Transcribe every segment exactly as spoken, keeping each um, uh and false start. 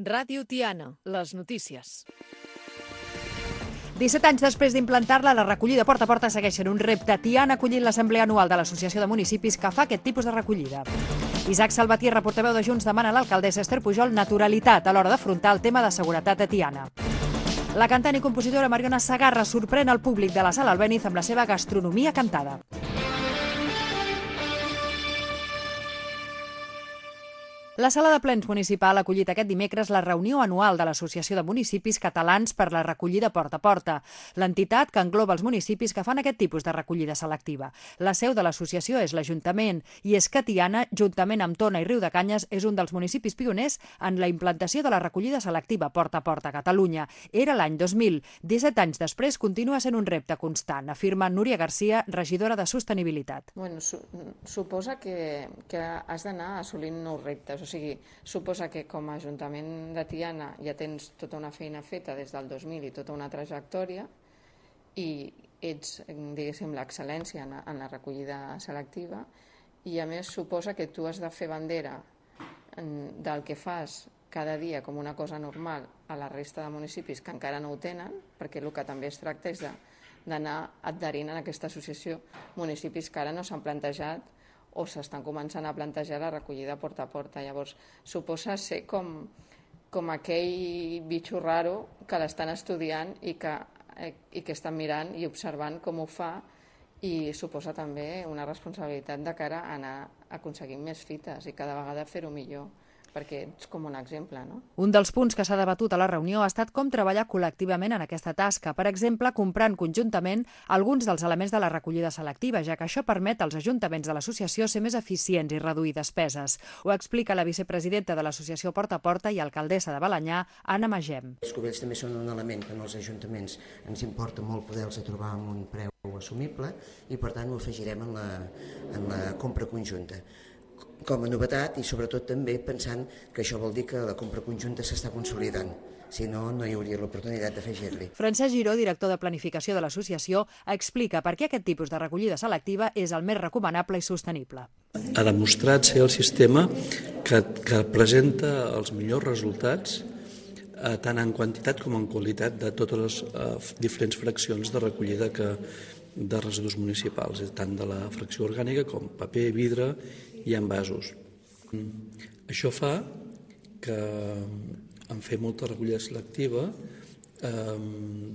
Ràdio Tiana, les notícies. disset anys després d'implantar-la, la recollida porta a porta segueix sent un repte. Tiana ha acollit l'assemblea anual de l'Associació de Municipis que fa aquest tipus de recollida. Isaac Salvatierra, portaveu de Junts, demana a l'alcaldessa Esther Pujol naturalitat a l'hora d'afrontar el tema de seguretat a Tiana. La cantant i compositora Mariona Segarra sorprèn el públic de la Sala Albéniz amb la seva gastronomia cantada. La Sala de Plens Municipal ha acollit aquest dimecres la reunió anual de l'Associació de Municipis Catalans per la recollida porta a porta, l'entitat que engloba els municipis que fan aquest tipus de recollida selectiva. La seu de l'associació és l'Ajuntament i és que Tiana, juntament amb Tona i Riudecanyes, és un dels municipis pioners en la implantació de la recollida selectiva porta a porta a Catalunya. Era l'any dos mil. disset anys després continua sent un repte constant, afirma Núria Garcia, regidora de Sostenibilitat. Bueno, su suposa que, que has d'anar assolint nous reptes. O sigui, suposa que com a Ajuntament de Tiana ja tens tota una feina feta des del dos mil i tota una trajectòria i ets, diguéssim, l'excel·lència en, en la recollida selectiva i a més suposa que tu has de fer bandera del que fas cada dia com una cosa normal a la resta de municipis que encara no ho tenen, perquè el que també es tracta és d'anar adherint a aquesta associació municipis que ara no s'han plantejat o s'estan començant a plantejar la recollida porta a porta. Llavors, suposa ser com, com aquell bitxo raro que l'estan estudiant i que, i que estan mirant i observant com ho fa i suposa també una responsabilitat de cara a anar aconseguint més fites i cada vegada fer-ho millor, perquè ets com un exemple, no? Un dels punts que s'ha debatut a la reunió ha estat com treballar col·lectivament en aquesta tasca, per exemple, comprant conjuntament alguns dels elements de la recollida selectiva, ja que això permet als ajuntaments de l'associació ser més eficients i reduir despeses. Ho explica la vicepresidenta de l'associació Porta a Porta i alcaldessa de Balenyà, Anna Magem. Els cubells també són un element que en els ajuntaments ens importa molt poder-los trobar amb un preu assumible i per tant ho afegirem en la, en la compra conjunta. Com a novetat i sobretot també pensant que això vol dir que la compra conjunta s'està consolidant. Si no, no hi hauria l'oportunitat d'afegir-li. Francesc Giró, director de Planificació de l'associació, explica per què aquest tipus de recollida selectiva és el més recomanable i sostenible. Ha demostrat ser el sistema que, que presenta els millors resultats eh, tant en quantitat com en qualitat de totes les eh, diferents fraccions de recollida que, de residus municipals, tant de la fracció orgànica com paper, vidre i envasos. Això fa que en fer molta recollida selectiva eh,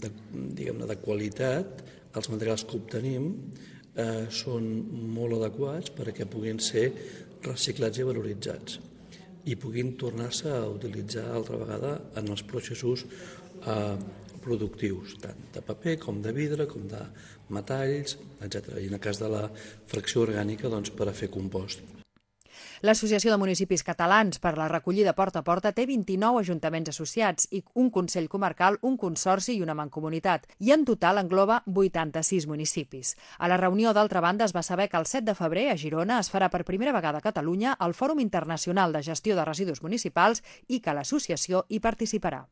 de, diguem-ne, de qualitat, els materials que obtenim eh, són molt adequats perquè puguin ser reciclats i valoritzats i puguin tornar-se a utilitzar altra vegada en els processos eh, productius, tant de paper com de vidre, com de metalls, etcètera. I en el cas de la fracció orgànica, doncs, per a fer compost. L'Associació de Municipis Catalans per la recollida porta a porta té vint-i-nou ajuntaments associats i un Consell Comarcal, un Consorci i una Mancomunitat, i en total engloba vuitanta-sis municipis. A la reunió, d'altra banda, es va saber que el set de febrer a Girona es farà per primera vegada a Catalunya el Fòrum Internacional de Gestió de Residus Municipals i que l'associació hi participarà.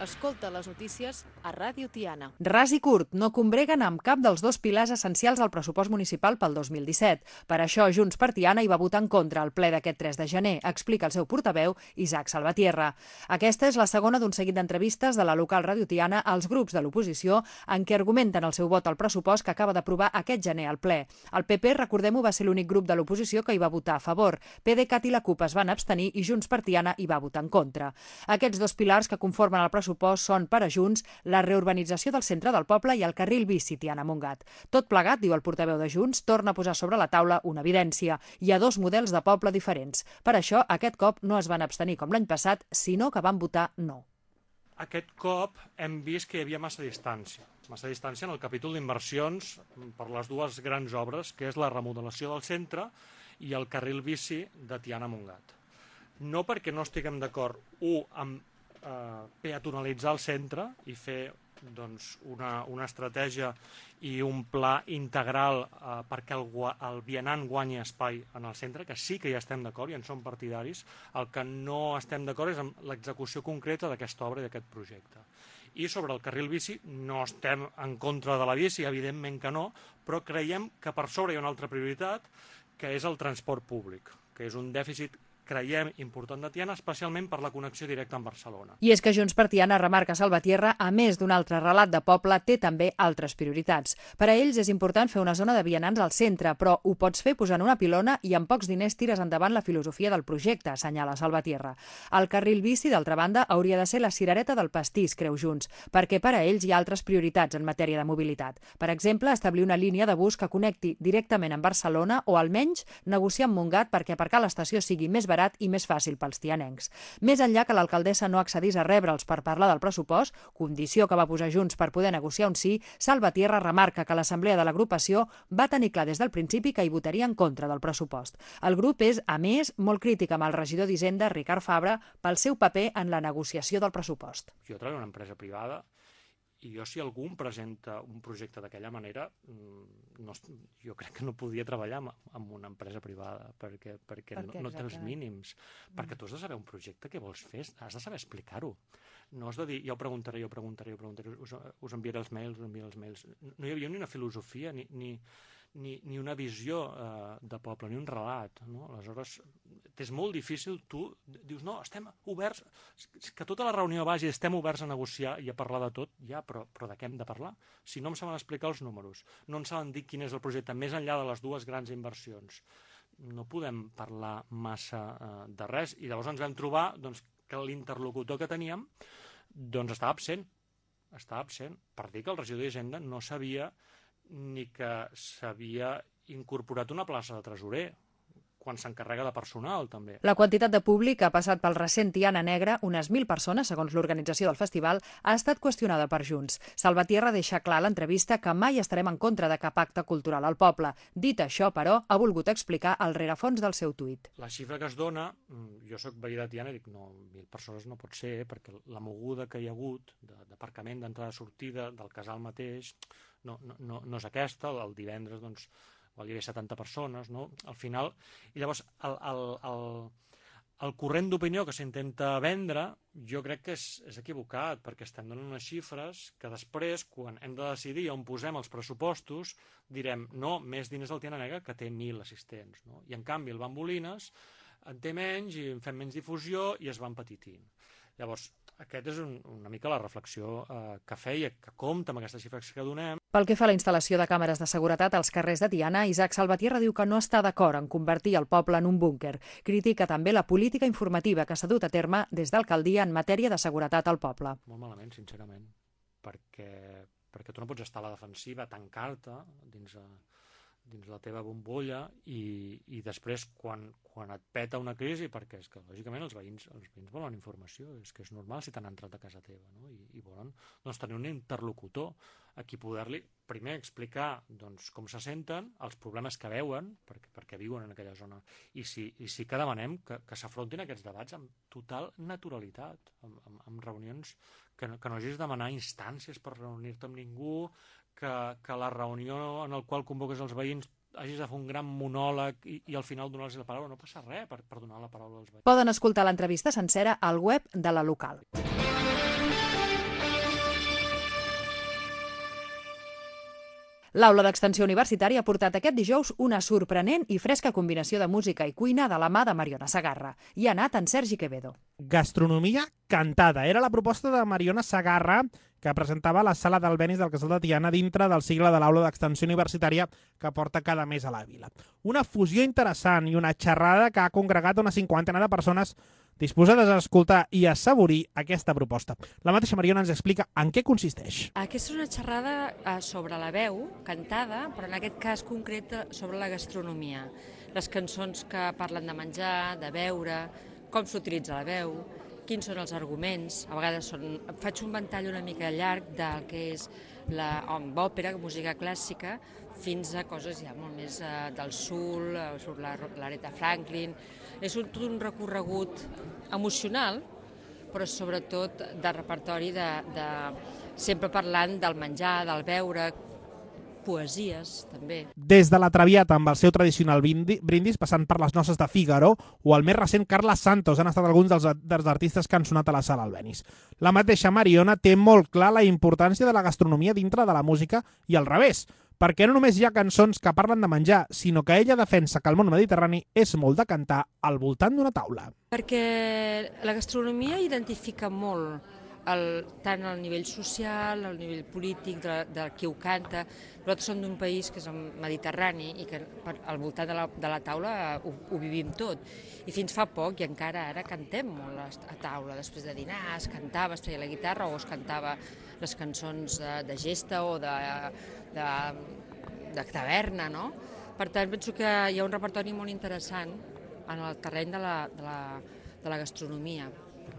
Escolta les notícies a Ràdio Tiana. Ras i curt, no combreguen amb cap dels dos pilars essencials al pressupost municipal pel dos mil disset. Per això, Junts per Tiana hi va votar en contra al ple d'aquest tres de gener, explica el seu portaveu, Isaac Salvatierra. Aquesta és la segona d'un seguit d'entrevistes de la local Ràdio Tiana als grups de l'oposició en què argumenten el seu vot al pressupost que acaba d'aprovar aquest gener al ple. El P P, recordem-ho, va ser l'únic grup de l'oposició que hi va votar a favor. PDeCAT i la CUP es van abstenir i Junts per Tiana hi va votar en contra. Aquests dos pilars que conformen el pressupost són per a Junts la reurbanització del centre del poble i el carril bici Tiana-Montgat. Tot plegat, diu el portaveu de Junts, torna a posar sobre la taula una evidència. Hi ha dos models de poble diferents. Per això, aquest cop no es van abstenir com l'any passat, sinó que van votar no. Aquest cop hem vist que hi havia massa distància. Massa distància en el capítol d'inversions per les dues grans obres, que és la remodelació del centre i el carril bici de Tiana-Montgat. No perquè no estiguem d'acord, u, amb Eh, peatonalitzar el centre i fer doncs, una, una estratègia i un pla integral eh, perquè el, el vianant guanyi espai en el centre, que sí que hi estem d'acord i en som partidaris. El que no estem d'acord és amb l'execució concreta d'aquesta obra i d'aquest projecte. I sobre el carril bici no estem en contra de la bici, evidentment que no, però creiem que per sobre hi ha una altra prioritat, que és el transport públic, que és un dèficit creiem important de Tiana, especialment per la connexió directa amb Barcelona. I és que Junts per Tiana remarca Salvatierra, a més d'un altre relat de poble, té també altres prioritats. Per a ells és important fer una zona de vianants al centre, però ho pots fer posant una pilona i amb pocs diners tires endavant la filosofia del projecte, assenyala Salvatierra. El carril bici, d'altra banda, hauria de ser la cirereta del pastís, creu Junts, perquè per a ells hi ha altres prioritats en matèria de mobilitat. Per exemple, establir una línia de bus que connecti directament amb Barcelona o almenys negociar amb Montgat perquè aparcar a l'estació sigui més barat i més fàcil pels tianencs. Més enllà que l'alcaldessa no accedís a rebre'ls per parlar del pressupost, condició que va posar Junts per poder negociar un sí, Salvatierra remarca que l'assemblea de l'agrupació va tenir clar des del principi que hi votaria en contra del pressupost. El grup és, a més, molt crític amb el regidor d'Hisenda, Ricard Fabra, pel seu paper en la negociació del pressupost. Jo treballo en una empresa privada i jo, si algú em presenta un projecte d'aquella manera, no, jo crec que no podria treballar en una empresa privada, perquè, perquè per no, no té els mínims. Mm. Perquè tu has de saber un projecte que vols fer, has de saber explicar-ho. No has de dir, ja ho preguntaré, jo preguntaré, jo preguntaré, us, us enviaré els mails, us enviaré els mails. No hi havia ni una filosofia, ni, ni, ni, ni una visió eh, de poble, ni un relat. No? Aleshores, és molt difícil, tu dius, no, estem oberts, que tota la reunió vagi, estem oberts a negociar i a parlar de tot, ja, però, però de què hem de parlar? Si no em saben explicar els números, no em saben dir quin és el projecte, més enllà de les dues grans inversions, no podem parlar massa eh, de res, i llavors ens vam trobar doncs, que l'interlocutor que teníem doncs, estava absent, estava absent, per dir que el regidor d'Hisenda no sabia ni que s'havia incorporat una plaça de tresorer, quan s'encarrega de personal, també. La quantitat de públic que ha passat pel recent Tiana Negra, unes mil persones, segons l'organització del festival, ha estat qüestionada per Junts. Salvatierra deixa clar a l'entrevista que mai estarem en contra de cap acte cultural al poble. Dit això, però, ha volgut explicar el rerefons del seu tuit. La xifra que es dona, jo soc veí de Tiana i dic, no, mil persones no pot ser, perquè la moguda que hi ha hagut d'aparcament, d'entrada-sortida, del casal mateix, no, no, no, no és aquesta. El divendres, doncs, hi havia setanta persones, no? Al final, i llavors el, el, el, el corrent d'opinió que s'intenta vendre jo crec que és, és equivocat, perquè estem donant unes xifres que després, quan hem de decidir on posem els pressupostos, direm, no, més diners al Tiana Negra, que té mil assistents, no? I en canvi el Bambolines en té menys i en fem menys difusió i es va empetitint. Llavors, aquest és un, una mica la reflexió eh, que feia, que compta amb aquestes xifres que donem. Pel que fa a la instal·lació de càmeres de seguretat als carrers de Tiana, Isaac Salvatierra diu que no està d'acord en convertir el poble en un búnquer. Critica també la política informativa que s'ha dut a terme des d'alcaldia en matèria de seguretat al poble. Molt malament, sincerament, perquè, perquè tu no pots estar a la defensiva, tancar-te dins a... dins la teva bombolla i, i després quan, quan et peta una crisi, perquè és que lògicament els veïns, els veïns volen informació, és que és normal si t'han entrat a casa teva, no? I, i volen doncs, tenir un interlocutor a qui poder-li primer explicar doncs, com se senten, els problemes que veuen, perquè, perquè viuen en aquella zona, i sí, i sí que demanem que, que s'afrontin aquests debats amb total naturalitat, amb, amb, amb reunions que no, que no hagis de demanar instàncies per reunir-te amb ningú, Que, que la reunió en la qual convoques els veïns hagis de fer un gran monòleg i, i al final donar-los la paraula. No passa res per, per donar la paraula als veïns. Poden escoltar l'entrevista sencera al web de la local. L'Aula d'Extensió Universitària ha portat aquest dijous una sorprenent i fresca combinació de música i cuina de la mà de Mariona Segarra. Hi ha anat en Sergi Quevedo. Gastronomia cantada. Era la proposta de Mariona Segarra, que presentava a la sala d'Albenis del Casal de Tiana dintre del cicle de l'Aula d'Extensió Universitària que porta cada mes a la vila. Una fusió interessant i una xerrada que ha congregat una cinquantena de persones disposades a escoltar i a assaborir aquesta proposta. La mateixa Mariona ens explica en què consisteix. Aquesta és una xerrada sobre la veu, cantada, però en aquest cas concret sobre la gastronomia. Les cançons que parlen de menjar, de beure, com s'utilitza la veu, quins són els arguments. A vegades són... faig un ventall una mica llarg del que és l'òpera, música clàssica, fins a coses ja molt més uh, del sul, uh, surt l'Aretha Franklin. És un, tot un recorregut emocional, però sobretot de repertori de, de sempre parlant del menjar, del beure, poesies, també. Des de la Traviata amb el seu tradicional brindis, passant per les noces de Fígaro o el més recent Carles Santos, han estat alguns dels, dels artistes que han sonat a la sala Albéniz. La mateixa Mariona té molt clar la importància de la gastronomia dintre de la música i al revés, perquè no només hi ha cançons que parlen de menjar, sinó que ella defensa que el món mediterrani és molt de cantar al voltant d'una taula. Perquè la gastronomia identifica molt el, tant al nivell social, al nivell polític, de, de qui ho canta. Nosaltres som d'un país que és el Mediterrani i que al voltant de la, de la taula ho, ho vivim tot. I fins fa poc, i encara ara, cantem molt a taula. Després de dinar es cantava, es treia la guitarra o es cantava les cançons de, de gesta o de, de, de taverna, no? Per tant, penso que hi ha un repertori molt interessant en el terreny de la, de la, de la gastronomia.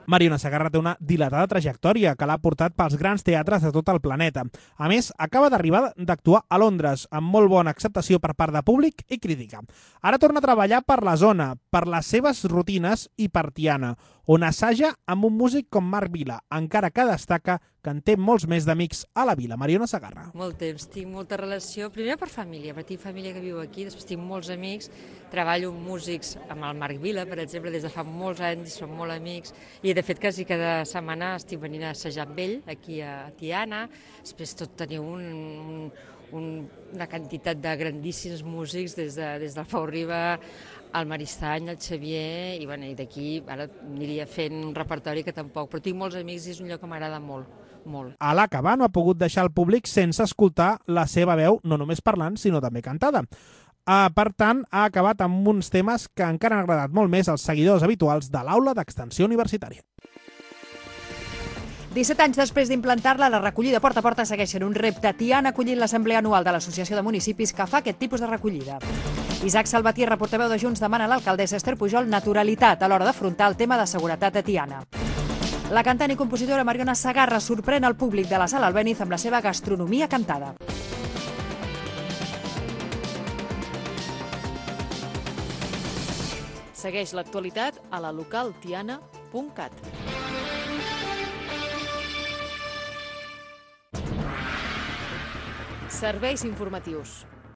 Mariona Segarra té una dilatada trajectòria que l'ha portat pels grans teatres de tot el planeta. A més, acaba d'arribar d'actuar a Londres, amb molt bona acceptació per part de públic i crítica. Ara torna a treballar per la zona, per les seves rutines i per Tiana, on assaja amb un músic com Marc Vila, encara que destaca que en té molts més d'amics a la vila. Mariona Segarra. Molt temps, tinc molta relació, primer per família, perquè tinc família que viu aquí, després tinc molts amics, treballo amb músics, amb el Marc Vila, per exemple, des de fa molts anys, som molt amics, i de fet quasi cada setmana estic venint a assajar amb ell, aquí a Tiana, després tot teniu un, un, un, una quantitat de grandíssims músics, des, de, des del Pau Riba, el Maristany, el Xavier, i, bueno, i d'aquí ara aniria fent un repertori que tampoc, però tinc molts amics i és un lloc que m'agrada molt. molt. A l'acabar no ha pogut deixar el públic sense escoltar la seva veu, no només parlant, sinó també cantada. Uh, per tant, ha acabat amb uns temes que encara han agradat molt més als seguidors habituals de l'aula d'extensió universitària. disset anys després d'implantar-la, la recollida porta a porta segueix sent un repte. Tiana ha acollit l'assemblea anual de l'Associació de Municipis que fa aquest tipus de recollida. Isaac Salvatierra, portaveu de Junts, demana a l'alcaldessa Esther Pujol naturalitat a l'hora d'afrontar el tema de seguretat a Tiana. La cantant i compositora Mariona Segarra sorprèn el públic de la sala Albéniz amb la seva gastronomia cantada. Segueix l'actualitat a la local tiana punt cat. Serveis informatius.